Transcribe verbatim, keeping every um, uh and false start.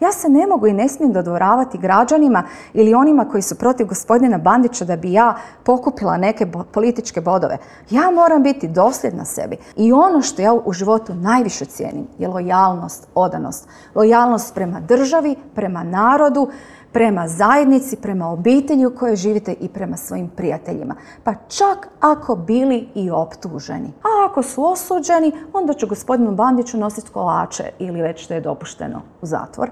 Ja se ne mogu i ne smijem dodvoravati građanima ili onima koji su protiv gospodina Bandića da bi ja pokupila neke političke bodove. Ja moram biti dosljedna sebi. I ono što ja u životu najviše cijenim je lojalnost, odanost. Lojalnost prema državi, prema narodu, prema zajednici, prema obitelji u kojoj živite i prema svojim prijateljima. Pa čak ako bili i optuženi. A ako su osuđeni, onda ću gospodinu Bandiću nositi kolače ili već što je dopušteno u zatvor.